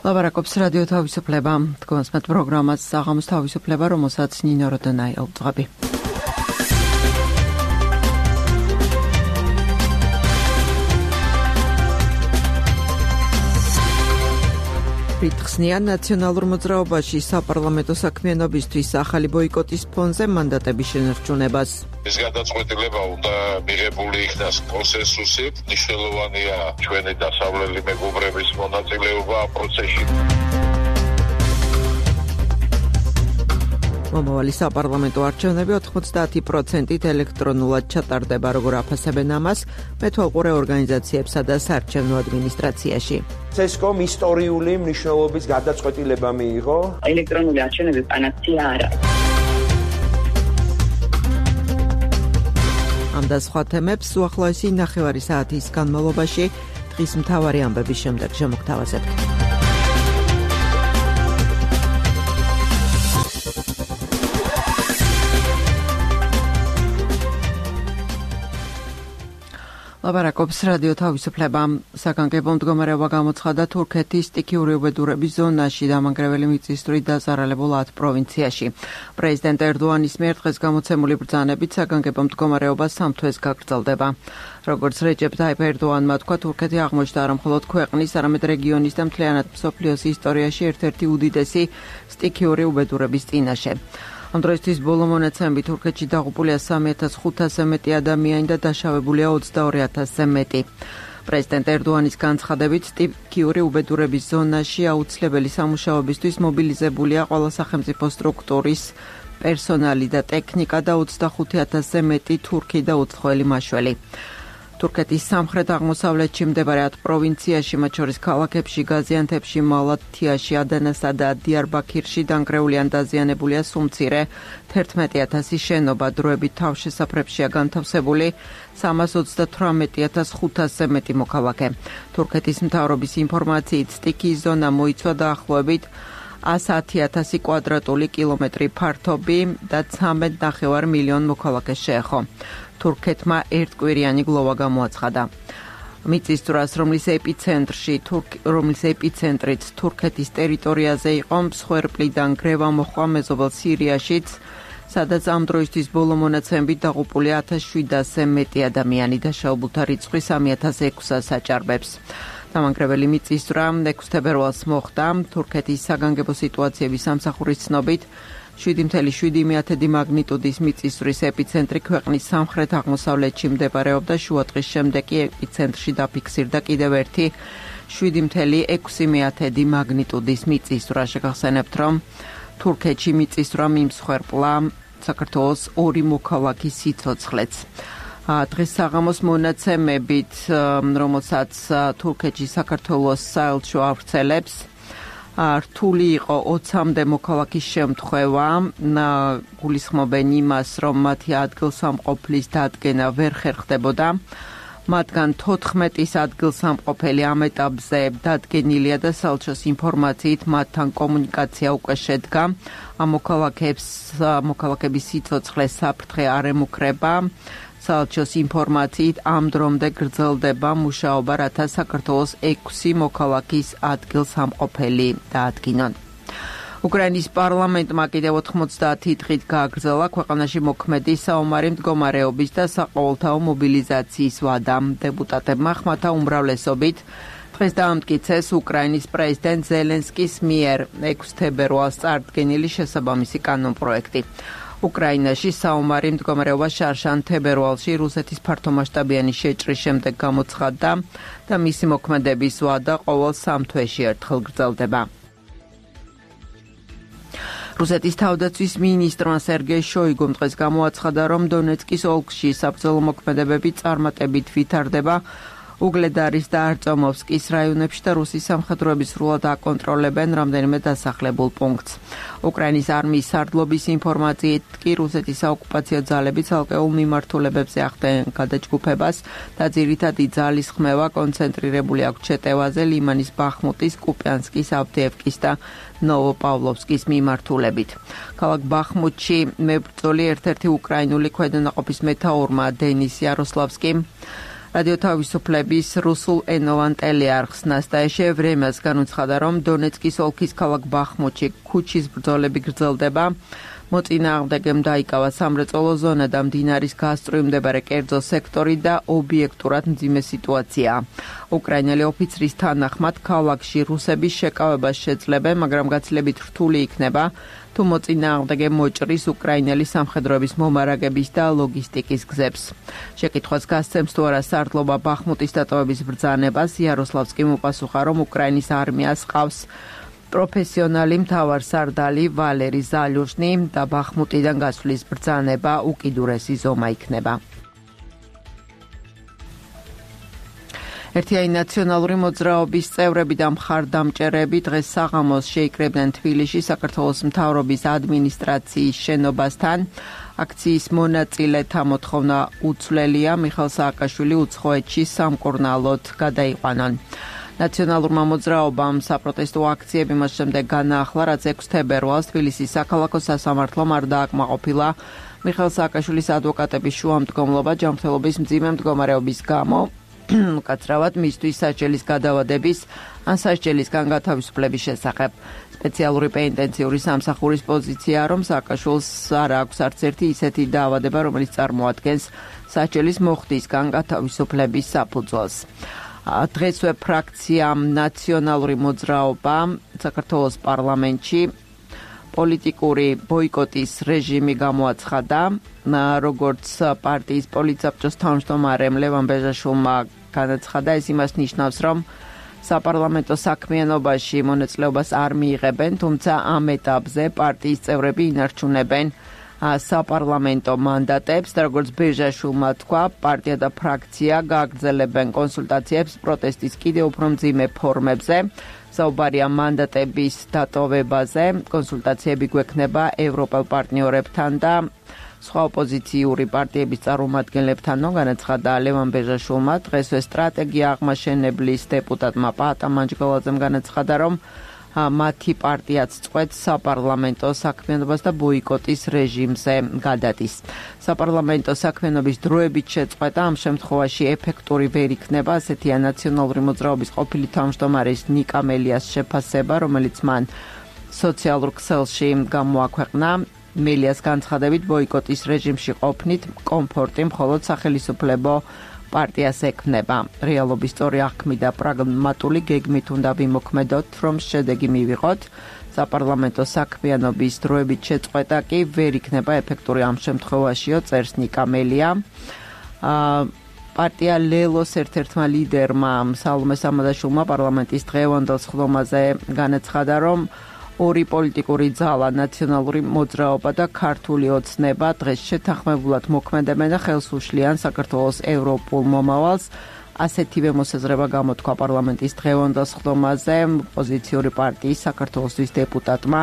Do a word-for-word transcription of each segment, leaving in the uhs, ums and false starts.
ლაბარაკობს რადიო თავისუფლება. თქვენს მათ პროგრამას საღამოს თავისუფლება, რომელსაც ნინო როდონაი აუწყები. რითხსნიან ნაციონალურ მოძრაობაში საპარლამენტო საქმიანობისთვის ახალი ბოიკოტის ფონზე მანდატების შენარჩუნებას. ეს გადაწყვეტილება უნდა მიღებული იქნას კონსენსუსით. მნიშვნელოვანია ჩვენი დასავლელი მეგობრების მონაწილეობა პროცესში. მომავალი საპარლამენტო არჩევნები ოთხმოცდაათი პროცენტით ელექტრონულად ჩატარდება, როგორ აფასებენ ამას მეთვალყურე ორგანიზაციებსა და საარჩევნო ადმინისტრაციაში. ცესკომ ისტორიული მნიშვნელობის გადაწყვეტილება მიიღო. ელექტრონული არჩევნების პანაცეა არა. ამ და სხვა თემებს უახლოესი ნახევარი საათის განმავლობაში დღის მთავარი ამბების შემდეგ შემოგთავაზებთ. ლაბარაკობს რადიო თავისუფლება. საგანგებო მდგომარეობა გამოცხადა თურქეთის სტიქიური უბედურების ზონაში დამანგრეველი მიწისძვრით დაზარალებულ ათ პროვინციაში. პრეზიდენტ ერდოანის მიერ დღეს გამოცემული ბრძანებით საგანგებო მდგომარეობა სამ თვეს გაგრძელდება. როგორც რეჯეპ ტაიპ ერდოანმა თქვა, თურქეთი აღმოჩნდა არა მხოლოდ ქვეყნის, არამედ რეგიონის და მთლიანად მსოფლიოს ისტორიაში ერთ-ერთი უდიდესი სტიქიური უბედურების წინაშე. ამ დროისთვის ბოლო მონაცემებით თურქეთში დაღუპულია სამი ათას ხუთასზე მეტი ადამიანი და დაშავებულია ოცდაორი ათასზე მეტი. პრეზიდენტ ერდოანის განცხადებით, სტიქიური უბედურების ზონაში აუცილებელი სამუშაოებისთვის მობილიზებულია ყველა სახელმწიფო სტრუქტურის პერსონალი და ტექნიკა და ოცდახუთი ათასზე მეტი თურქი და უცხოელი მაშველი. თურქეთის სამხრეთ-აღმოსავლეთში მდებარე ათ პროვინციაში, მათ შორის ქალაქებში, გაზიანთეპში, მალათიაში, ადანასა და დიარბაქირში დანგრეული ან დაზიანებულია სუმცირე თერთმეტი ათასი შენობა, დროებით თავშესაფრებშია განთავსებული სამას ოცდათვრამეტი ათას ხუთასზე მეტი მოქალაქე. თურქეთის მთავრობის ინფორმაციით, სტიქიის ზონა მოიცვა დაახლოებით ათი ათასი კვადრატული კილომეტრი ფართობი და ცხრამეტ ნახევარ მილიონ მოქალაქეს შეეხო. თურქეთმა ერთკვირიანი გლოვა გამოაცხადა. მიწისძვრას, რომლის ეპიცენტრში, რომლის ეპიცენტრით თურქეთის ტერიტორიაზე იყო, მსხვერპლიდან გრევა მოჰყვა მეზობელ სირიაშიც, სადაც ამ დროისთვის ბოლო მონაცემებით დაღუპულია ათას შვიდასზე მეტი ადამიანი, დაშავებულთა რიცხვი სამი ათას ექვსს აჭარბებს. დამანგრეველი მიწისძვრა ექვსი თებერვალს მოხდა. თურქეთის საგანგებო სიტუაციების სამსახურის ცნობით, შვიდი ათეული შვიდი მაგნიტუდის მიწისძვრის ეპიცენტრი ქვეყნის სამხრეთ-აღმოსავლეთში მდებარეობდა. შუადღის შემდეგ კი ეპიცენტრში დაფიქსირდა კიდევ ერთი შვიდი ათეული ექვსი მაგნიტუდის მიწისძვრა. შეგახსენებთ, რომ თურქეთში მიწისძვრა მიმსხვერპლა საქართველოს ორი მოქალაქის სიცოცხლეც. დღეს საღამოს მონაცემებით, რომელსაც თურქეთში საქართველოს საელჩო ავრცელებს, რთული იყო ოცამდე მოქალაქის შემთხვევა. გულისხმობენ იმას, რომ მათი ადგილსამყოფლის დადგენა ვერ ხერხდებოდა. მათგან თოთხმეტის ადგილსამყოფელი ამ ეტაპზე დადგენილია და საელჩოს ინფორმაციით მათთან კომუნიკაცია უკვე შედგა. ამ მოქალაქების სიცოცხლე საფრთხე არ ემუქრება. საელჩოს ინფორმაციით ამ დრომდე გრძელდება მუშაობა, რათა საქართველოს ექვსი მოქალაქის ადგილსამყოფელი დაადგინონ. უკრაინის პარლამენტმა კიდევ ოთხმოცდაათი დღით გააგრძელა ქვეყანაში მოქმედი საომარი მდგომარეობის და საყოველთაო მობილიზაციის ვადა. დეპუტატებმა ხმათა უმრავლესობით დღეს დაამტკიცეს უკრაინის პრეზიდენტ ზელენსკის მიერ ექვსი თებერვალს წარდგენილი შესაბამისი კანონპროექტი. უკრაინაში საომარი მდგომარეობა შარშან თებერვალში რუსეთის ფართომასშტაბიანი შეჭრის შემდეგ გამოცხადდა და მისი მოქმედების ვადა ყოველ სამ თვეში ერთხელ გრძელდება. რუსეთის თავდაცვის მინისტრმა სერგეი შოიგუმ დღეს გამოაცხადა, რომ დონეცკის ოლქში საბრძოლო მოქმედებები წარმატებით ვითარდება. უგლედარის და არწომოვსკის რაიონებში და რუსის სამხედროების სრულად აკონტროლებენ რამდენიმე დასახლებულ პუნქტს. უკრაინის არმიის სარდლობის ინფორმაციით კი რუსეთის საოკუპაციო ძალები ცალკეულ მიმართულებებზე ახდენენ გადაჯგუფებას და ძირითადი ძალის ხმევა კონცენტრირებული აქვს ჩეტევაზე, ლიმანის, ბახმუტის, კუპიანსკის, ავდეევკის და ნოვოპავლოვსკის მიმართულებით. ქალაქ ბახმუტში მებრძოლი ერთ-ერთი უკრაინული ქვედანაყოფის მეთაურმა დენის იაროსლავსკიმ რადიო თავისუფლების რუსულ ენოვან ტელეარხს ნასტაია ვრემას განუცხადა, რომ დონეცკის ოლქის ქალაქ ბახმუთში ქუჩის ბრძოლები გრძელდება. მოწინააღმდეგემ დაიკავა სამრეწველო ზონა და მდინარის გასწვრივ მდებარე კერძო სექტორი და ობიექტურად მძიმე სიტუაცია. უკრაინელი ოფიცრის თანახმად ქალაქში რუსების შეკავებას შეძლებენ, მაგრამ გაცილებით რთული იქნება, თუ მოწინააღმდეგე მოჭრის უკრაინელი სამხედროების მომარაგების და ლოგისტიკის გზებს. შეკითხვას გასცემს თუ არა სარდლობა ბახმუტის დატოვების ბრძანებას, იაროსლავსკიმ უპასუხა, რომ უკრაინის არმიას ყავს პროფესიონალი მთავარსარდალი ვალერი ზალյուჟნი და ბახმუტიდან გასვლის ბრძანება უკიდურესი ზომა იქნება. ერთიანი ნაციონალური მოძრაობის წევრები და მხარდამჭერები დღეს საღამოს შეიკრებდნენ თბილისში საქართველოს მთავრობის ადმინისტრაციის შენობასთან. აქციის მონაწილეთა მოთხოვნა უცვლელია, მიხეილ სააკაშვილი უცხოეთში სამკურნალოდ გადაიყვანონ. ნაციონალურმა მოძრაობამ საპროტესტო აქციები მას შემდეგ განაახლა, რაც ექვსი თებერვალს თბილისის საქალაქო სასამართლომ არ დააკმაყოფილა მიხეილ სააკაშვილის ადვოკატების შუამდგომლობა ჯანმრთელობის მძიმე მდგომარეობის გამო. უკაცრავად მისთვის სასჯელის გადავადების ან სასჯელისგან გათავისუფლების შესახებ. სპეციალური პენიტენციური სამსახურის პოზიცია, რომ სააკაშვილს არ აქვს არც ერთი ისეთი დაავადება, რომელიც წარმოადგენს სასჯელის მოხდისგან გათავისუფლების საფუძველს. დღესვე ფრაქცია ნაციონალური მოძრაობა საქართველოს პარლამენტში პოლიტიკური ბოიკოტის რეჟიმი გამოაცხადა, როგორც პარტიის პოლიტსაბჭოს თავმჯდომარემ ლევან ბეჟაშვილმა განაცხადა, ეს იმას ნიშნავს, რომ საპარლამენტო საქმიანობაში მონაწილეობას არ მიიღებენ, თუმცა ამ ეტაპზე პარტიის წევრები ინარჩუნებენ საპარლამენტო მანდატებს და როგორც ბეჟაშვილმა თქვა, პარტია და ფრაქცია გააგრძელებენ კონსულტაციებს პროტესტის კიდევ უფრო მძიმე ფორმებზე. საუბარია მანდატების დატოვებაზე, კონსულტაციები გვექნება ევროპელ პარტნიორებთან და სხვა ოპოზიციური პარტიების წარმომადგენლებთან, განაცხადა ლევან ბეჟაშვილმა. დღესვე სტრატეგია აღმაშენებლის დეპუტატმა პაატა მანჯგალაძემ განაცხადა, რომ მათი პარტიაც წყვეტს საპარლამენტო საქმიანობას და ბოიკოტის რეჟიმზე გადადის. საპარლამენტო საქმიანობის დროებით შეწყვეტა ამ შემთხვევაში ეფექტური ვერ იქნება, ასეთია ნაციონალური მოძრაობის ყოფილი თავმჯდომარის ნიკა მელიას შეფასება, რომელიც მან სოციალურ ქსელში გამოაქვეყნა. მელიას განცხადებით, ბოიკოტის რეჟიმში ყოფნით კომფორტი მხოლოდ სახელისუფლებო პარტიას ექმნება. რეალობის სწორი აღქმი და პრაგმატული გეგმით უნდა ვიმოქმედოთ, რომ შედეგი მივიღოთ. საპარლამენტო საქმიანობის დროებით შეწყვეტა კი ვერ იქნება ეფექტური ამ შემთხვევაშიო, წერს ნიკა მელია. პარტია ლელოს ერთ-ერთმა ლიდერმა სალომე სამადაშვილმა პარლამენტის დღევანდელ სხდომაზე განაცხადა, რომ ორი პოლიტიკური ძალა, ნაციონალური მოძრაობა და ქართული ოცნება დღეს შეთანხმებულად მოქმედებენ და ხელს უშლიან საქართველოს ევროპულ მომავალს. ასეთივე მოსაზრება გამოთქვა პარლამენტის დღევანდელ სხდომაზე ოპოზიციური პარტიის საქართველოსთვის დეპუტატმა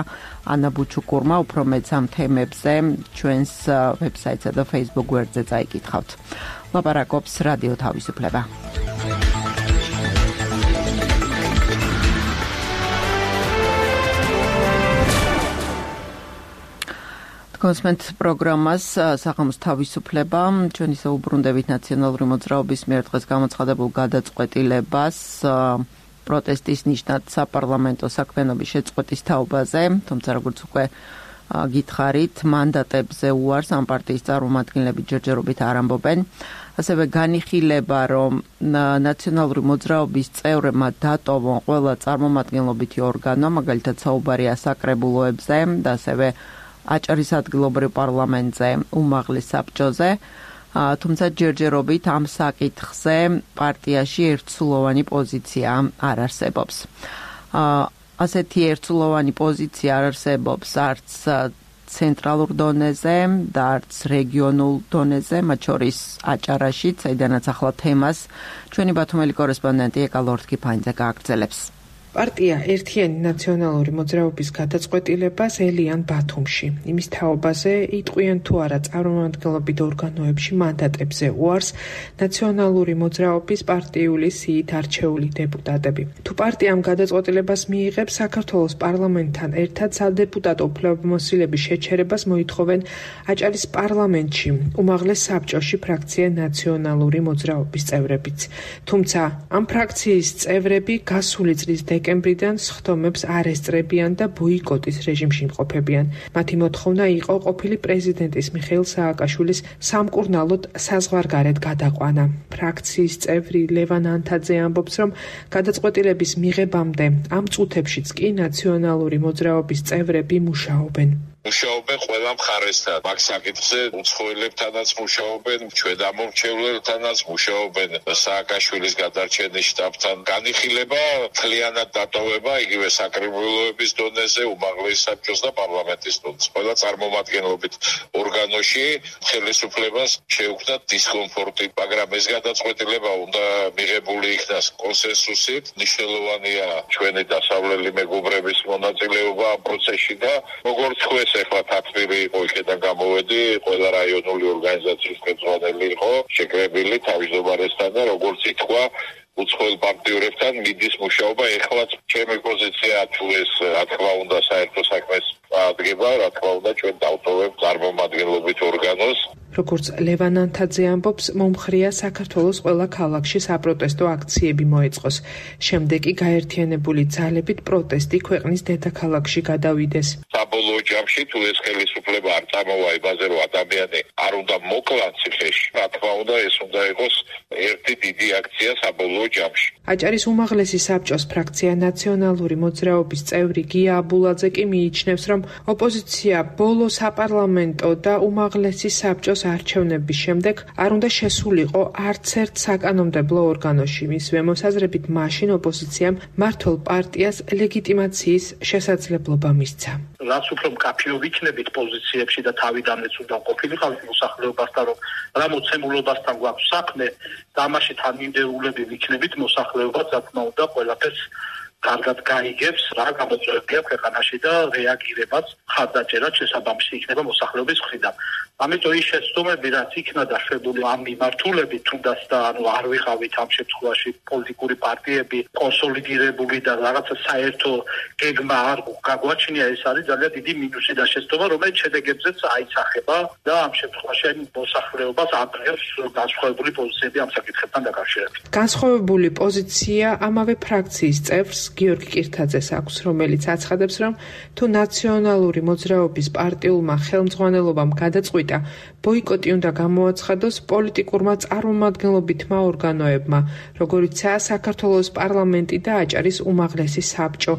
ანა ბუჩუკურმა. უფრო მეც ამ თემებზე ჩვენს ვებსაიტსა და Facebook გვერდზე წაიკითხავთ. ლაპარაკობს რადიო თავისუფლება. კონსმენტ პროგრამას საღამოს თავისუფლება, ჩვენ ისე უბრუნდებით ნაციონალური მოძრაობის მიერ დღეს გამოცხადებულ გადაწყვეტილებას პროტესტის ნიშნად საპარლამენტო საქმიანობის შეწყვეტის თაობაზე, თუმცა როგორც უკვე გითხარით, მანდატებზე უარს ამ პარტიის წარმომადგენლები ჯერჯერობით არ ამბობენ. ასევე განიხილება, რომ ნაციონალური მოძრაობის წევრებმა დატოვონ ყველა წარმომადგენლობითი ორგანო, მაგალითად საუბარია საკრებულოებზე და ასევე აჭარის ადგილობრივ პარლამენტზე, უმაღლეს საბჭოზე, თუმცა ჯერჯერობით ამ საკითხზე პარტიაში ერთსულოვანი პოზიცია არ არსებობს. ასეთი ერთსულოვანი პოზიცია არ არსებობს არც ცენტრალურ დონეზე და არც რეგიონულ დონეზე, მათ შორის აჭარაშიც, საიდანაც ახლა თემას ჩვენი ბათუმელი კორესპონდენტი ეკა ლორთქიფანიძე გააგრძელებს. პარტია ერთიანი ნაციონალური მოძრაობის გადაწყვეტილებას ელიან ბათუმში. იმის თაობაზე იტყვიან თუ არა წარმომადგენლობით ორგანოებში მანდატებზე უარს ნაციონალური მოძრაობის პარტიული სიით არჩეული დეპუტატები. თუ პარტიამ გადაწყვეტილებას მიიღებს, საქართველოს პარლამენტთან ერთად სადეპუტატო უფლებამოსილების შეჩერებას მოითხოვენ აჭარის პარლამენტში უმაღლეს საბჭოში ფრაქცია ნაციონალური მოძრაობის წევრებიც. თუმცა ამ ფრაქციის წევრები გასული წლის დეკემბრიდან სხდომებს არ ესწრებიან და ბოიკოტის რეჟიმში იმყოფებიან. მათი მოთხოვნა იყო ყოფილი პრეზიდენტის მიხეილ სააკაშვილის სამკურნალოდ საზღვარგარეთ გადაყვანა. ფრაქციის წევრი ლევან ანთაძე ამბობს, რომ გადაწყვეტილების მიღებამდე ამ წუთებშიც კი ნაციონალური მოძრაობის წევრები მუშაობენ. მუშაობენ ყველა მხარესთან, მაგ საკითხზე უცხოელებთანაც მუშაობენ, ჩვენ ამომრჩევლელთანაც მუშაობენ, სააკაშვილის გადარჩენის შტაბთან განიხილება, მთლიანად დატოვება იგივე საკრებულოების დონეზე, უმაღლეს საბჭოს და პარლამენტის დონეზე. ყველა წარმომადგენლობით ორგანოში ხელისუფლებას შეუქმნათ დისკომფორტი, მაგრამ ეს გადაწყვეტილება უნდა მიღებული იქნას კონსენსუსით. მნიშვნელოვანია ჩვენი დასავლელი მეგობრების მონაწილეობა ამ პროცესში და როგორც ხويس ეხლა თათბირი იყო, იქიდან გამოვედი, ყველა რაიონული ორგანიზაციის ხელმძღვანელი იყო შეკრებილი თავმჯდომარესთან და როგორც ითქვა, უცხოელ პარტნიორებთან მიდის მუშაობა. ეხლაც ჩემი პოზიცია თუ ეს რა თქმა უნდა საერთო საქმეს აღდგება, რა თქმა უნდა ჩვენ დავტოვებთ წარმომადგენლობით ორგანოს. როგორც ლევან ანთაძე ამბობს, მომხრია საქართველოს ყველა ქალაქში საპროტესტო აქციები მოეწყოს. შემდეგ კი გაერთიანებული ძალებით პროტესტი ქვეყნის დედაქალაქში გადავიდეს. საბოლოო ჯამში თუ ეს ხელისუფლება არ წამოვა იმაზე, რომ ადამიანი არ უნდა მოკლან ციხეში, რა თქმა უნდა ეს უნდა იყოს ერთი დიდი აქცია საბოლოო ჯამში. აჭარის უმაღლესი საბჭოს ფრაქცია ნაციონალური მოძრაობის წევრი გია აბულაძე კი მიიჩნევს, რომ ოპოზიცია ბოლო საპარლამენტო და უმაღლესი საბჭოს არჩევნების შემდეგ არ უნდა შესულიყო არც ერთ საკანონმდებლო ორგანოში. მისივე მოსაზრებით მაშინ ოპოზიციამ მართლ პარტიას ლეგიტიმაციის შესაძლებლობა მისცა. რაც უფრო მკაფიო ვიქნებით პოზიციებში და თავიდანაც უნდა ყოფილიყავით მოსახლეობასთან, რომ რა მოცემულობასთან გვაქვს საქმე, და ამაში თანმიმდევრულები ვიქნებით მოსახლეობას, რა თქმა უნდა, ყველაფერს კარგად გაიგებს, რა გამოწვევებია ქვეყანაში და რეაგირებაც ხარდაჭერად შესაბამისი იქნება მოსახლეობის მხრიდან. ამიტომ ის შეცდომები, რაც იქნა დაშვებული ამ მიმართულებით, თუნდაც და ანუ არ ვიყავით ამ შემთხვევაში პოლიტიკური პარტიები კონსოლიდირებული და რაღაცა საერთო გეგმა არ გაგვაჩნია, ეს არის ძალიან დიდი მინუსი და შეცდომა, რომელიც შედეგებზეც აისახება და ამ შემთხვევაში მოსახლეობას აკრავს განსხვავებული პოზიციები ამ საკითხებთან დაკავშირებით. განსხვავებული პოზიცია ამავე ფრაქციის წევრს გიორგი კირთაძეს აქვს, რომელიც აცხადებს, რომ თუ ნაციონალური მოძრაობის პარტიულმა ხელმძღვანელობამ გადაწყვიტა ბოიკოტი უნდა გამოაცხადოს პოლიტიკურმა წარმომადგენლობითმა ორგანოებმა, როგორიცაა საქართველოს პარლამენტი და აჭარის უმაღლესი საბჭო,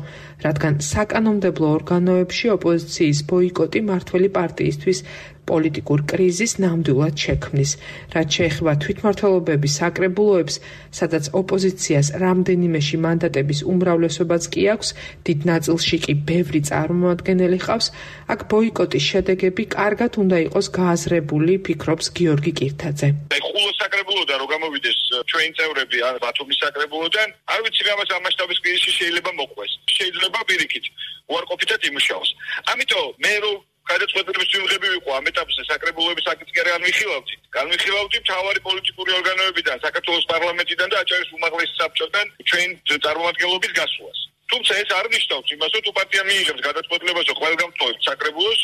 რადგან საკანონმდებლო ორგანოებში ოპოზიციის ბოიკოტი მართველი პარტიისთვის პოლიტიკურ კრიზის ნამდვილად შექმნის. რაც შეეხება თვითმმართველობების საკრებულოებს, სადაც ოპოზიციას რამდენიმეში მანდატების უმრავლესობაც კი აქვს, დიდ ნაწილში კი ბევრი წარმომადგენელი ყავს, აქ ბოიკოტის შედეგები კარგად უნდა იყოს გააზრებული, ფიქრობს გიორგი კირთაძე. ხულოს საკრებულოდან რო გამოვიდეს ჩვენი წევრები ან ბათუმის საკრებულოდან, არ ვიცი რა მას ამ მასშტაბის კრიზისი შეიძლება მოყვეს. შეიძლება პირიქით უარყოფითად იმუშაოს. ამიტომ მე რო გადაწყვეტილების მიღები ვიყო ამ ეტაპზე საკრებულოების საკითხი არ განვიხილავდი. განვიხილავდი მთავარი პოლიტიკური ორგანოებიდან, საქართველოს პარლამენტიდან და აჭარის უმაღლესი საბჭოდან ჩვენ წარმომადგენლობის გასვლას. თუმცა ეს არ ნიშნავს იმას, რომ თუ პარტია მიიღებს გადაწყვეტილებას, რომ ყველგან ვტოვებთ საკრებულოს,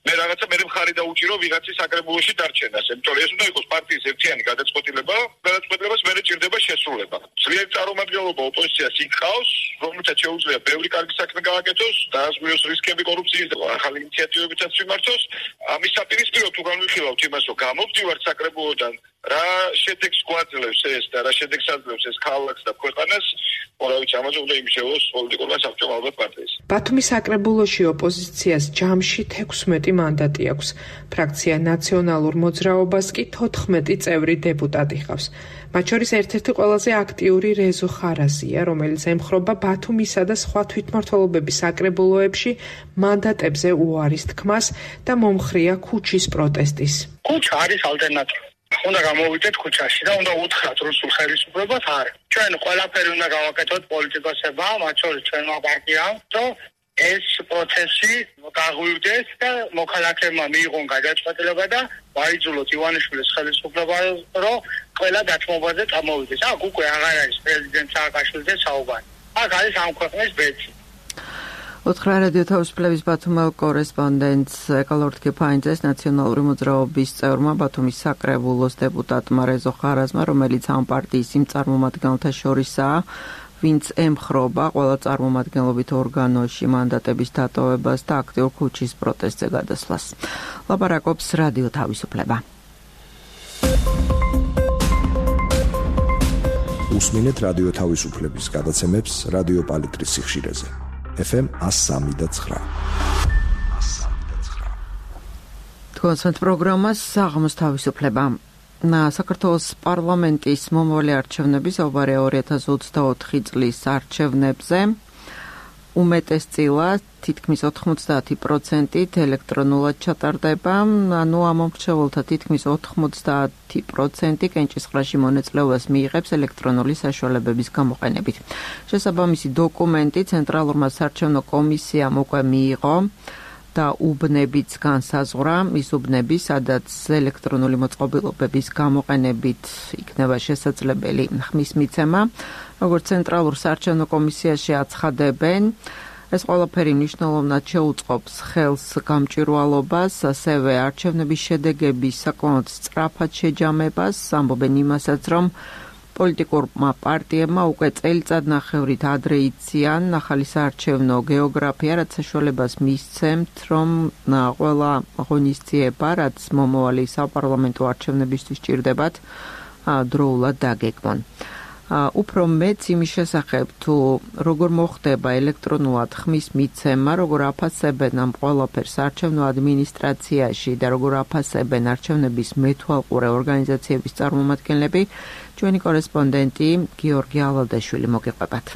მე რაღაცა მე მხარი დაუჭირო ვიღაცის საკრებულოში დარჩენას. იმიტომ რომ ეს უნდა იყოს პარტიის ერთიანი გადაწყვეტილება, გადაწყვეტილებას მერე ჭირდება შესრულება. ძლიერი წარმომადგენლობა ოპოზიციას იქხავს, რომელსაც შეუძლია ბევრი კარგი საქმე გააკეთოს, დაასრულოს რისკები კორუფციის და ახალი ინიციატივებითაც მიმართოს. ამის საპირისპიროდ თუ განვიხილავთ იმას, რომ გამოვდივართ საკრებულოდან, რა შედეგს გვაძლევს ეს და რა შედეგს აძლევს ეს ქალაქს და ქვეყანას, მორავით ამაზე უნდა იმუშაოს პოლიტიკურმა საბჭომ ალბათ პარტიის. ბათუმის საკრებულოში ოპოზიციას ჯამში თექვსმეტი მანდატი აქვს. ფრაქცია ნაციონალურ მოძრაობას კი თოთხმეტი წევრი დეპუტატი ჰყავს. მათ შორის ერთ-ერთი ყველაზე აქტიური რეზო ხარაზია, რომელიც ემხრობა ბათუმისა და სხვა თვითმმართველობების საკრებულოებში მანდატებზე უარის თქმას და მომხრია ქუჩის პროტესტის. ქუჩა არის ალტერნატივა. უნდა გამოვიდეთ ქუჩაში და უნდა უთხრათ რუსულ ხელისუფლებას არა. ჩვენ ყველაფერი უნდა გავაკეთოთ პოლიტიკოსებმა, მათ შორის ჩვენმა პარტიამ, რომ ეს პროცესი გაღვივდეს და მოქალაქეებმა მიიღონ გადაწყვეტილება და ვაიძულოთ ივანიშვილის ხელისუფლება, რომ ყველა დათმობაზე წამოვიდეს. აქ უკვე აღარ არის პრეზიდენტ სააკაშვილიძე საუბარი. აქ არის ამ ქვეყნის ბეჭი. ოთხრა რადიო თავისუფლების ბათუმელ კორესპონდენტს ეკალორთკი ფაინძეს ნაციონალური მოძრაობის წევრმა ბათუმის საკრებულოს დეპუტატმა რეზო ხარაზმა, რომელიც ამ პარტიის იმ წარმომადგენელთა შორისაა, ვინც ემხრობა ყველა წარმომადგენლობით ორგანოში მანდატების დატოვებას და აქტიურ ქუჩის პროტესტზე გადასვლას. ლაპარაკობს რადიო თავისუფლება. უსმინეთ რადიო თავისუფლების გადაცემებს რადიო პალიტრის სიხშირეზე. ეფ ემ one oh three point nine. თქვენს პროგრამას საღამოს თავისუფლება. საქართველოს პარლამენტის მომავალი არჩევნები საუბარია ორი ათას ოცდაოთხი წლის არჩევნებზე. უმეტესწილად თითქმის ოთხმოცდაათი პროცენტით ელექტრონულად ჩატარდება, ანუ ამომრჩეველთა თითქმის ოთხმოცდაათი პროცენტი კენჭისყრაში მონაწილეობას მიიღებს ელექტრონული საშუალებების გამოყენებით. შესაბამისი დოკუმენტი ცენტრალურმა საარჩევნო კომისიამ უკვე მიიღო და უბნებიც განსაზღვრა, ის უბნები, სადაც ელექტრონული მოწყობილობების გამოყენებით იქნება შესაძლებელი ხმის მიცემა, როგორც ცენტრალურ საარჩევნო კომისიაში აცხადებენ, ეს ყველაფერი მნიშვნელოვნად შეუწყობს ხელს გამჭვირვალობას, ასევე არჩევნების შედეგების საკმაოდ სწრაფად შეჯამებას, ამბობენ იმასაც, რომ პოლიტიკურმა პარტიებმა უკვე წელიწადნახევრით ადრე იციან ახალი საარჩევნო გეოგრაფია, რაც საშუალებას მისცემთ, რომ ყველა ღონისძიება, რაც მომავალი საპარლამენტო არჩევნებისთვის სჭირდებათ, დროულად დაგეგმონ. უფრო მეც იმის შესახებ, თუ როგორ მოხდება ელექტრონულად ხმის მიცემა, როგორ აფასებენ ამ ყველაფერს საარჩევნო ადმინისტრაციაში და როგორ აფასებენ არჩევნების მეთვალყურე ორგანიზაციების წარმომადგენლები, ჩვენი კორესპონდენტი გიორგი ალადაშვილი მოგიყვებათ.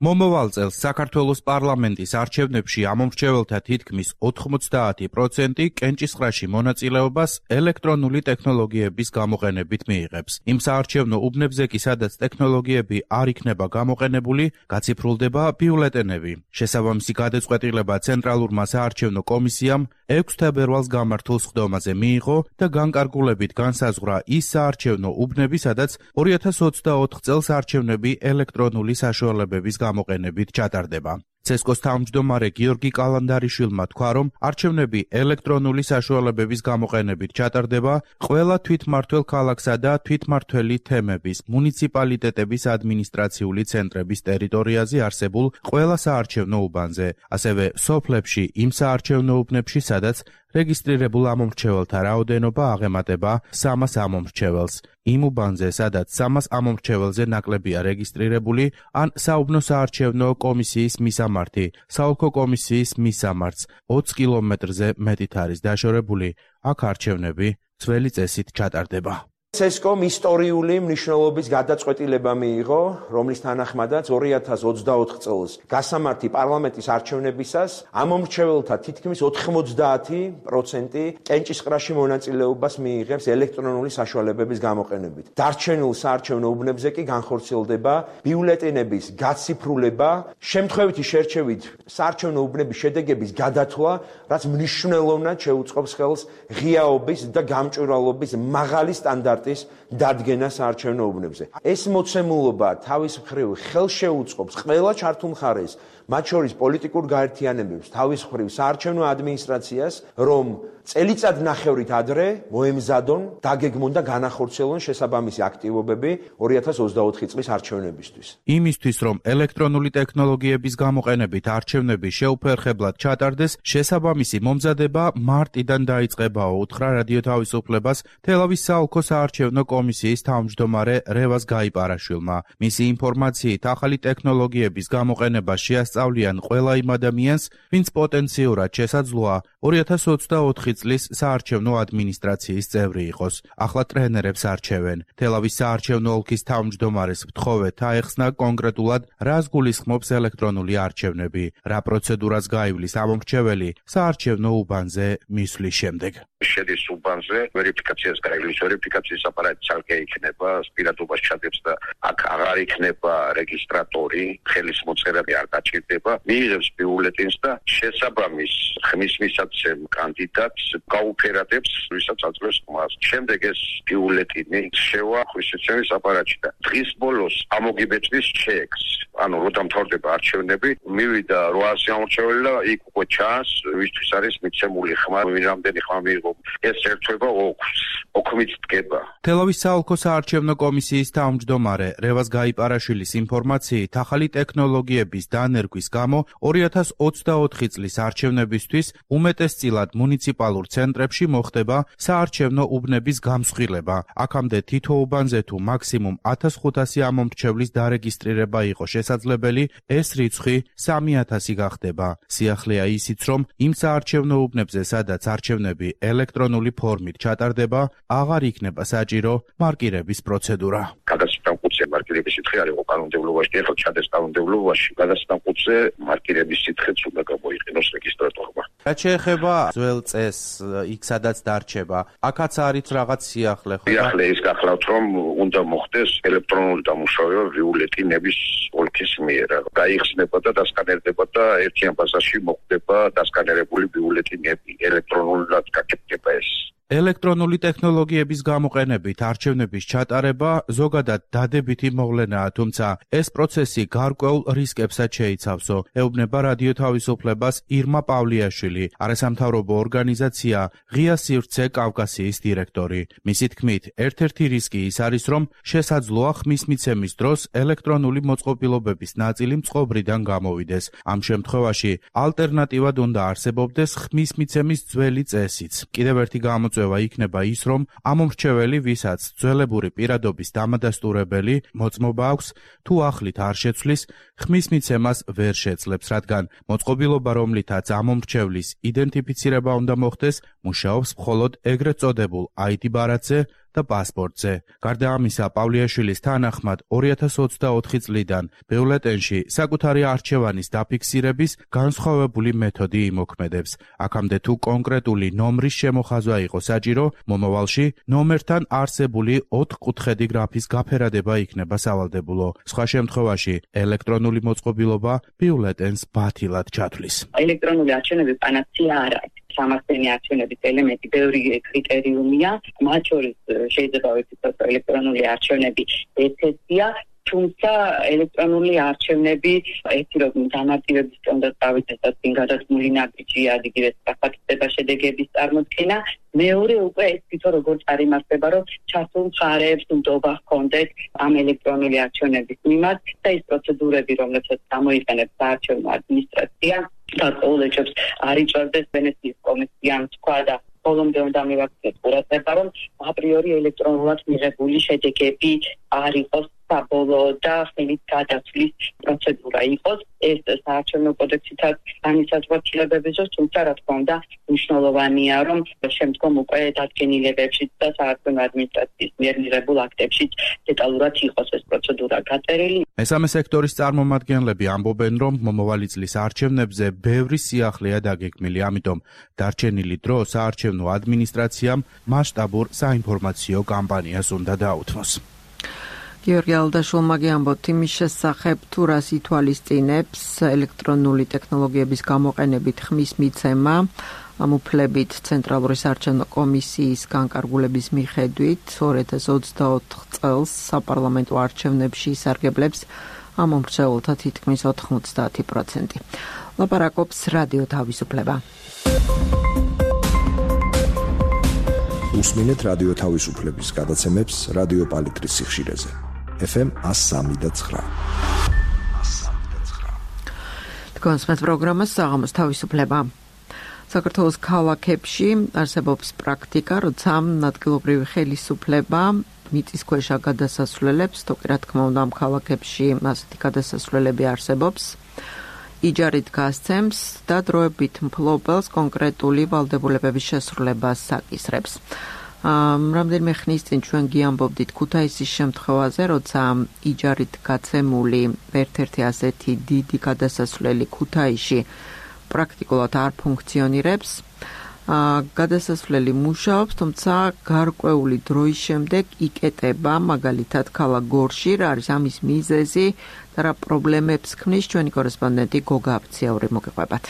მომავალ წელს საქართველოს პარლამენტის არჩევნებში ამომრჩეველთა თითქმის ოთხმოცდაათი პროცენტი კენჭისყრაში მონაწილეობას ელექტრონული ტექნოლოგიების გამოყენებით მიიღებს. იმ საარჩევნო უბნებზე კი, სადაც ტექნოლოგიები არ იქნება გამოყენებული, გაციფრულდება ბიულეტენები. შესაბამისი გადაწყვეტილება ცენტრალურმა საარჩევნო კომისიამ ექვსი თებერვალს გამართულ სხდომაზე მიიღო და განკარგულებით განსაზღვრა ის საარჩევნო უბნები, სადაც ორი ათას ოცდაოთხ წელს არჩევნები ელექტრონული საშუალებების გამოყენებით ჩატარდება. ცესკოს თავმჯდომარე გიორგი კალანდარიშვილმა თქვა, რომ არჩევნები ელექტრონული საშუალებების გამოყენებით ჩატარდება ყველა თვითმმართველ ქალაქსა და თვითმმართველი თემების, მუნიციპალიტეტების ადმინისტრაციული ცენტრების ტერიტორიაზე არსებულ ყველა საარჩევნო უბანზე, ასევე სოფლებში იმ საარჩევნო უბნებში, სადაც რეგისტრირებულ ამომრჩეველთა რაოდენობა აღემატება სამას ამომრჩეველს. იმ უბანზე, სადაც სამას ამომრჩეველზე ნაკლებია რეგისტრირებული, ან საუბნო საარჩევნო კომისიის მისამართი, საოლქო კომისიის მისამართს ოცი კილომეტრზე მეტით არის დაშორებული, აქ არჩევნები ძველი წესით ჩატარდება. ცესკომ ისტორიული მნიშვნელობის გადაწყვეტილება მიიღო, რომლის თანახმადაც ორი ათას ოცდაოთხ წელს გასამართი პარლამენტის არჩევნებისას ამომრჩეველთა თითქმის ოთხმოცდაათი პროცენტი კენჭისყრაში მონაწილეობას მიიღებს ელექტრონული საშუალებების გამოყენებით. დარჩენილ საარჩევნო უბნებზე კი განხორციელდება ბიულეტენების გაციფრულება, შემთხვევითი შერჩევით საარჩევნო უბნების შედეგების გადათვლა, რაც მნიშვნელოვნად შეუწყობს ხელს ღიაობის და გამჭვირვალობის მაღალი სტანდარტის დადგენა საარჩევნო უბნებზე. ეს მოცემულობა თავის მხრივ ხელს შეუწყობს ყველა ჩართულ მხარეს, მათ შორის პოლიტიკურ გაერთიანებებს, თავის მხრივ საარჩევნო ადმინისტრაციას, რომ წელიწადნახევრით ადრე მოემზადონ, დაგეგმონ და განახორციელონ შესაბამისი აქტივობები ორი ათას ოცდაოთხი წლის არჩევნებისთვის. იმისთვის, რომ ელექტრონული ტექნოლოგიების გამოყენებით არჩევნები შეუფერხებლად ჩატარდეს, შესაბამისი მომზადება მარტიდან დაიწყებაო, უთხრა რადიო თავისუფლებას თელავის საოლქო საარჩევნო კომისიის თავმჯდომარე რევაზ გაიპარაშვილმა. მისი ინფორმაციით, ახალი ტექნოლოგიების გამოყენება შეასწავლეს შეესწავლიან ყველა იმ ადამიანს, ვინც პოტენციურად შესაძლოა ორი ათას ოცდაოთხი წლის საარჩევნო ადმინისტრაციის წევრი იყოს. ახლა ტრენერებს არჩევენ. თელავის საარჩევნო ოლქის თავმჯდომარეს ვთხოვეთ აეხსნა კონკრეტულად რას გულისხმობს ელექტრონული არჩევნები, რა პროცედურას გაივლის ამომრჩეველი საარჩევნო უბანზე მისვლის შემდეგ. შედის უბანზე, ვერიფიკაციას გაივლის, ვერიფიკაციის აპარატი ცალკე იქნება, პირადობას ჩადებს და აქ აღარ იქნება რეგისტრატორი, ხელის მოწერები არ გაჭირდება, მიიღებს ბიულეტენს და შესაბამის ხმის მისაცემ კანდიდატს გაუფერადებს, ვისაც აძლევს ხმას. შემდეგ ეს ბიულეტენი შევა ხმისმიცემის აპარატში და დღის ბოლოს ამოგიბეჭდის ჩეკს. ანუ რო დამთავრდება არჩევნები, მივიდა რვაასი ამორჩეველი და იქ უკვე ჩანს, ვისთვის არის მიცემული ხმა, რამდენი ხმა მიიღო. ეს ერთვება ოქს, ოქმით დგება. თელავის საოლქო საარჩევნო კომისიის თავმჯდომარე რევაზ გაიპარაშვილის ინფორმაციით, ახალი ტექნოლოგიების დანერგვის გამო ორი ათას ოცდაოთხი წლის არჩევნებისთვის უმეტესწილად მუნიციპალურ ცენტრებში მოხდება საარჩევნო უბნების გამსხვილება. აქამდე თითო უბანზე თუ მაქსიმუმ ათას ხუთასი ამომრჩევლის დარეგისტრირება იყო შესაძლებელი, ეს რიცხვი სამი ათასი გახდება. სიახლეა ისიც, რომ იმ საარჩევნო უბნებზე, სადაც არჩევნები ელექტრონული ფორმით ჩატარდება, აღარ იქნება საჭირო მარკირების პროცედურა. გადასტან კუთხე მარკირების სითხე არ იყო კანონმდებლობაში, ახლა ჩადეს კანონმდებლობაში. გადასტან კუთხე მარკირების სითხეც უნდა გამოიყენოს რეგისტრატორმა. რაც შეეხება ძველ წესს, იქ სადაც დარჩება, აქაც არის რაღაც სიახლე, ხო? სიახლე ის გახლავთ, რომ უნდა მოხდეს ელექტრონული დამუშავება ბიულეტენების ოლქის მიერ. გაიხსნება და დასკანერდება და ერთიან ბაზაში მოხდება დასკანერებული ბიულეტენები, ელექტრონულად გაკეთდება ეს. ელექტრონული ტექნოლოგიების გამოყენებით არჩევნების ჩატარება ზოგადად დადებითი მოვლენაა, თუმცა ეს პროცესი გარკვეულ რისკებსაც შეიცავსო, ეუბნება რადიო თავისუფლებას ირმა პავლიაშვილი, არასამთავრობო ორგანიზაცია ღია სივრცე კავკასიის დირექტორი. მისი თქმით, ერთ-ერთი რისკი ის არის, რომ შესაძლოა ხმის მიცემის დროს ელექტრონული მოწყობილობების ნაწილი მწყობრიდან გამოვიდეს. ამ შემთხვევაში ალტერნატივად უნდა არსებობდეს ხმის მიცემის ძველი წესიც. კიდევ ერთი გამოწვევა იქნება ის, რომ ამომრჩეველი, ვისაც ძველებური პირადობის დამადასტურებელი მოწმობა აქვს, თუ ახლით არ შეცვლის, ხმის მიცემას ვერ შეძლებს, რადგან მოწყობილობა, რომლითაც ამომრჩევლის იდენტიფიცირება უნდა მოხდეს, მუშაობს მხოლოდ ეგრეთ წოდებულ აი დი ბარათზე და პასპორტზე. გარდა ამისა, პავლიაშვილის თანახმად ორი ათას ოცდაოთხი წლიდან ბიულეტენში საკუთარი არჩევანის დაფიქსირების განსხვავებული მეთოდი იმოქმედებს. აქამდე თუ კონკრეტული ნომრის შემოხაზვა იყო საჭირო, მომავალში ნომერთან არსებული ოთხკუთხედი გრაფის გაფერადება იქნება სავალდებულო. სხვა შემთხვევაში ელექტრონული მოწყობილობა ბიულეტენს ბათილად ჩათვლის. ელექტრონული არჩევნები პანაცეა არ არის. სამართლიანი არჩევნების ელემენტი ბევრი კრიტერიუმია, მათ შორის შეიძლება ვიფიქროთ, რომ ელექტრონული არჩევნები ერთ-ერთია, თუმცა ელექტრონული არჩევნები ერთი რომ დამარტივების უნდა წავიდეს წინ გადადგმული ნაბიჯია, იგივე საფაქტება შედეგების წარმოქმნა, მეორე უკვე ეს თვითონ როგორ წარიმართება, რომ ჩართულ მხარეებს ნდობა ჰქონდეთ ამ ელექტრონული არჩევნების მიმართ და ის პროცედურები, რომლებსაც გამოიყენებს საარჩევნო ადმინისტრაცია, დაწყვილებს არ იწვევდეს ვენეციის კომისიამ თქვა და ბოლომდე უნდა მივაქციოთ ყურადღება, რომ აპრიორი ელექტრონულად მიღებული შედეგები არ იყოს საბოლოო და ხელით გადაცვლის პროცედურა იყოს. ეს საარჩევნო კოდექსითაც განისაზღვრებებების დროს, თუმცა რა თქმა უნდა მნიშვნელოვანია, რომ შემდგომ უკვე დადგენილებებშიც და საარჩევნო ადმინისტრაციის მიერ მიღებულ აქტებშიც დეტალურად იყოს ეს პროცედურა გაწერილი. მესამე სექტორის წარმომადგენლები ამბობენ, რომ მომავალი წლის არჩევნებზე ბევრი სიახლეა დაგეგმილი, ამიტომ დარჩენილი დრო საარჩევნო ადმინისტრაციამ მასშტაბურ საინფორმაციო კამპანიას უნდა დაუთმოს. გიორგი ალდაშვილმა გიამბობთ იმის შესახებ, თუ რას ითვალისწინებს ელექტრონული ტექნოლოგიების გამოყენებით ხმის მიცემა, ამ უფლებით ცენტრალური საარჩევნო კომისიის განკარგულების მიხედვით ორი ათას ოცდაოთხ წელს საპარლამენტო არჩევნებში ისარგებლებს ამომრჩეველთა თითქმის ოთხმოცდაათი პროცენტი. ლაპარაკობს რადიო თავისუფლება. უსმინეთ რადიო თავისუფლების გადაცემებს რადიო პალიტრის სიხშირეზე. ეფ ემ ას სამი და ცხრა. თქვენს პროგრამას საღამოს თავისუფლება. საქართველოს ქალაქებში არსებობს პრაქტიკა, როცა ადგილობრივი ხელისუფლება მიწისქვეშა გადასასვლელებს, თუ კი რა თქმა უნდა ამ ქალაქებში ასეთი გადასასვლელები არსებობს, იჯარით გასცემს და დროებით მფლობელს კონკრეტული ვალდებულებების შესრულებას საკისრებს. რამდენიმე ხნის წინ ჩვენ გიამბობდით ქუთაისის შემთხვევაზე, როცა იჯარით გაცემული ერთ-ერთი ასეთი დიდი გადასასვლელი ქუთაისში პრაქტიკულად არ ფუნქციონირებს. გადასასვლელი მუშაობს, თუმცა გარკვეული დროის შემდეგ იკეტება, მაგალითად ქალაქ გორში, რა არის ამის მიზეზი და რა პრობლემებს ქმნის ჩვენი კორესპონდენტი გოგა აფციაური მოგიყვებათ.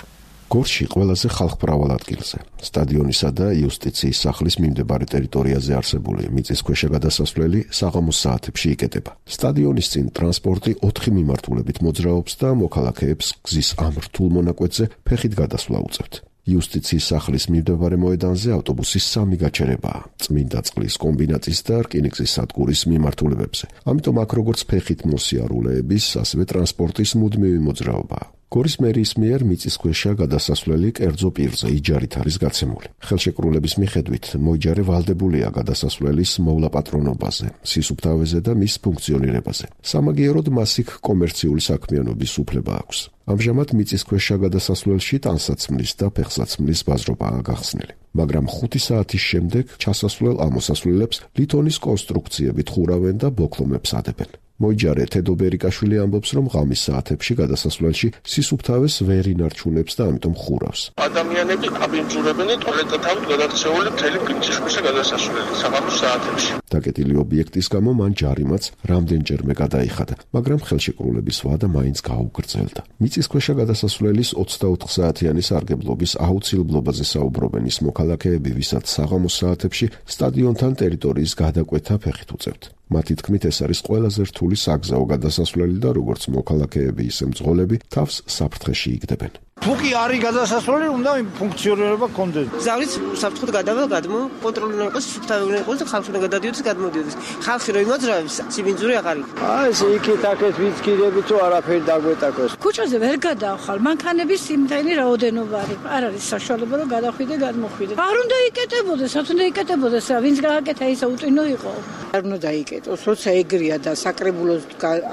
გორში ყველაზე ხალხმრავალ ადგილზე, სტადიონისა და იუსტიციის სახლის მიმდებარე ტერიტორიაზე არსებული მიწისქვეშა გადასასვლელი საღამოს საათებში იკეტება. სტადიონის წინ ტრანსპორტი ოთხი მიმართულებით მოძრაობს და მოქალაქეებს გზის ამ რთულ მონაკვეთზე ფეხით გადასვლა უწევთ. იუსტიციის სახლის მიმდებარე მოედანზე ავტობუსის სამი გაჩერებაა, წმინდა წყლის კომბინატის და რკინიგზის სადგურის მიმართულებებზე. ამიტომ აქ როგორც ფეხით მოსიარულეების, ასევე ტრანსპორტის მუდმივი მოძრაობაა. გორის მერიის მიერ მიწისქვეშა გადასასვლელი კერძო პირზე იჯარით არის გაცემული. ხელშეკრულების მიხედვით მოიჯარე ვალდებულია გადასასვლელის მოვლაპატრონობაზე, სისუფთავეზე და მის ფუნქციონირებაზე. სამაგიეროდ მას იქ კომერციული საქმიანობის უფლება აქვს. ამჟამად მიწისქვეშა გადასასვლელში ტანსაცმლის და ფეხსაცმლის ბაზრობაა გახსნილი. მაგრამ ხუთი საათის შემდეგ ჩასასვლელ ამოსასვლელებს ლითონის კონსტრუქციებით ხურავენ და ბოკლომებს ადებენ. მოიჯარე თედო ბერიკაშვილი ამბობს, რომ ღამის საათებში გადასასვლელში სისუფთავეს ვერ ინარჩუნებს და ამიტომ ხურავს. ადამიანები აბინძურებენ ტუალეტთან გადაქცეული მთელი მიწისქვეშა გადასასვლელი საღამოს საათებში. დაკეტილი ობიექტის გამო მან ჯარიმაც რამდენჯერმე გადაიხადა, მაგრამ ხელშეკრულების ვადა მაინც გაუგრძელდა. მიწისქვეშა გადასასვლელის ოცდაოთხ საათიანი სარგებლობის აუცილებლობაზე საუბრობენ ის მოქალაქეები, ვისაც საღამოს საათებში სტადიონთან ტერიტორიის გადაკვეთა ფეხით უწევთ. მათი თქმით, ეს არის ყველაზე რთული საგზაო გადასასვლელი და როგორც მოქალაქეები, ისე მძღოლები თავს საფრთხეში იგდებენ. თუ კი არის გადასასვლელი, უნდა ფუნქციონირება კონდეს. ზავრის საფრთხოდ გადავალ გადმო, კონტროლი უნდა იყოს, სუფთავი უნდა იყოს და ხალხი უნდა გადადიოდეს, გადმოდიოდეს. ხალხი რო იმოძრავებს, სიბინძური აღარ იქ. აი ეს იქით აქეთ ვიცკირები თუ არაფერი დაგვეტაკოს. ქუჩაზე ვერ გადავხალ, მანქანების სიმდენი რაოდენობა არის. არ არის საშუალება რომ გადახვიდე, გადმოხვიდე. არ უნდა იკეტებოდეს, რაც უნდა იკეტებოდეს, რა ვინც გააკეთა ისა უტინო იყო. არ უნდა დაიკეტოს, როცა ეგრეა და საკრებულოს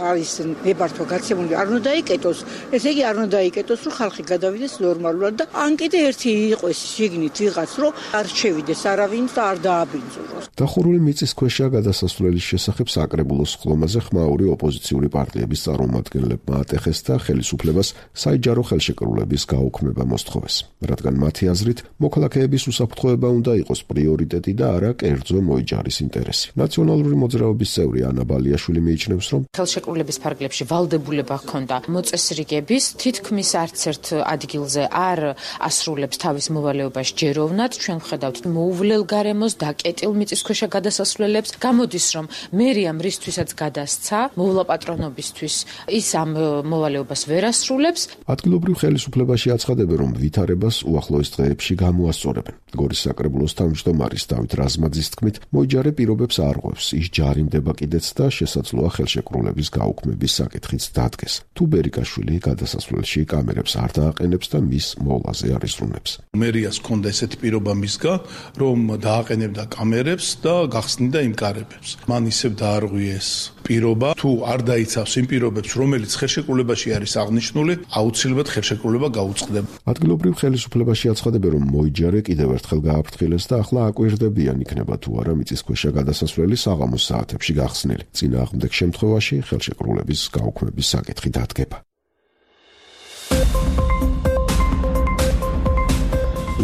არის ნებართვა გაცემული, არ უნდა დაიკეტოს. ესე იგი არ უნდა დაიკეტოს, რომ ხალხი გადავიდეს ნორმალურად და ან კიდე ერთი იყოს შიგნით ვიღაც, რომ არ შევიდეს არავინ და არ დააბინძუროს. დახურული მიწისქვეშა გადასასვლელის შესახებ საკრებულოს ხლომაზე ხმაური ოპოზიციური პარტიების წარმომადგენლებმა ატეხეს და ხელისუფლებას საიჯარო ხელშეკრულების გაუქმება მოსთხოვეს, რადგან მათი აზრით მოქალაქეების უსაფრთხოება უნდა იყოს პრიორიტეტი და არა კერძო მოიჯარის ინტერესი. ნაციონალური მოძრაობის წევრი ანა ბალიაშვილი მიიჩნევს, რომ ხელშეკრულების ფარგლებში ვალდებულება ჰქონდა მოწესრიგების, თითქმის არც ერთ ადგილზე არ ასრულებს თავის მოვალეობას ჯეროვნად. ჩვენ ვხედავთ მოუვლელ გარემოს დაკეტილ მიწისქვეშა გადასასვლელებს. გამოდის, რომ მერიამ რისთვისაც გადასცა მოვლაპატრონობისთვის ის ამ მოვალეობას ვერ ასრულებს. ადგილობრივ ხელისუფლებაში აცხადებენ, რომ ვითარებას უახლოეს დღეებში გამოასწორებენ. გორის საკრებულოს თავმჯდომარის დავით რაზმაძის თქმით, მოიჯარე პირობებს არ ღვევს, ის ჯარიმდება კიდეც და შესაძლოა ხელშეკრულების გაუქმების საკითხიც დადგეს. თუ ბერიკაშვილი გადასასვლელში კამერებს არ დააყენებს და მის მოვლაზე არ იზრუნებს. მერიას ჰქონდა ესეთი პირობა მისგან, რომ დააყენებდა კამერებს და გახსნიდა იმ კარებებს. მან ისევ დაარღვიეს პირობა, თუ არ დაიცავს იმ პირობებს, რომელიც ხელშეკრულებაში არის აღნიშნული, აუცილებლად ხელშეკრულება გაუწყდება. ადგილობრივ ხელისუფლებაში აცხადებენ, რომ მოიჯარე კიდევ ერთხელ გააფრთხილეს და ახლა აკვირდებიან იქნება თუ არა მიწისქვეშა გადასასვლელი საღამოს საათებში გახსნილი. წინააღმდეგ შემთხვევაში ხელშეკრულების გაუქმების საკითხი დადგება.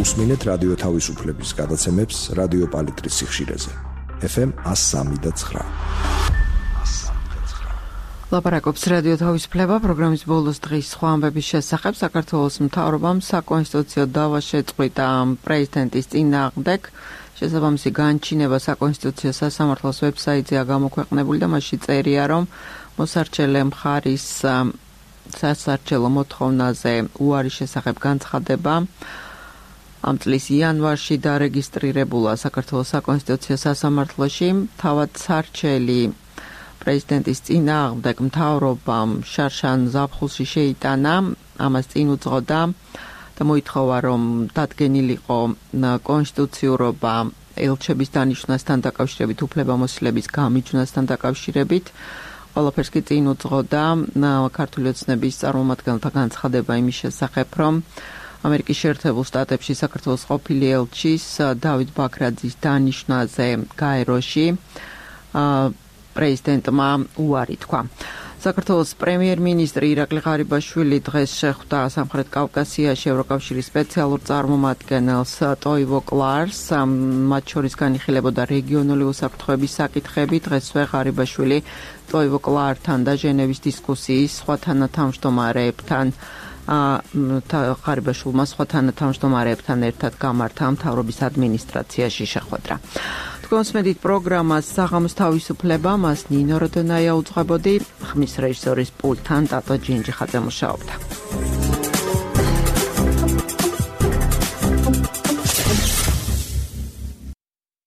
უსმინეთ რადიო თავისუფლების გადაცემებს რადიო პალიტრის სიხშირეზე. ეფ ემ one oh three point nine. ლაპარაკობს რადიო თავისუფლება პროგრამის ბოლოს დღის სხვა ამბების შესახებ. საქართველოს მთავრობამ საკონსტიტუციო დავა შეწყვიტა პრეზიდენტის წინააღმდეგ. შესაბამისი განჩინება საკონსტიტუციო სასამართლოს ვებსაიტზეა გამოქვეყნებული და მასში წერია, რომ მოსარჩელე მხარის სასარჩელო მოთხოვნაზე უარის შესახებ განცხადება ამ წლის იანვარში დარეგისტრირებულა საქართველოს საკონსტიტუციო სასამართლოში. თავად სარჩელი პრეზიდენტის წინააღმდეგ მთავრობამ შარშან ზაფხულში შეიტანა, ამას წინ უძღოდა და მოითხოვა, რომ დადგენილიყო კონსტიტუციურობა ელჩების დანიშვნასთან დაკავშირებით, უფლებამოსილების გამიჯვნასთან დაკავშირებით. ყველაფერს კი წინ უძღოდა ქართული ოცნების წარმომადგენელთა განცხადება იმის შესახებ, რომ ამერიკის შეერთებულ შტატებში საქართველოს ყოფილი ელჩის დავით ბაქრაძის დანიშვნაზე გაეროში პრეზიდენტმა უარი თქვა. საქართველოს პრემიერ-მინისტრი ირაკლი ღარიბაშვილი დღეს შეხვდა სამხრეთ კავკასიაში ევროკავშირის სპეციალურ წარმომადგენელს ტოივო კლარს, მათ შორის განიხილებოდა რეგიონული უსაფრთხოების საკითხები. დღესვე ღარიბაშვილი ტოივო კლართან და ჟენევის დისკუსიის სხვა თანათავმჯდომარეებთან ღარიბაშვილმა სხვა თანათავმჯდომარეებთან ერთად გამართა მთავრობის ადმინისტრაციაში შეხვედრა. კონსმედით პროგრამას საღამოს თავისუფლება მას ნინო როდონაია უძღვებოდი, ხმის რეჟისორის პულტთან ტატო ჯინჯიხაძე მუშაობდა.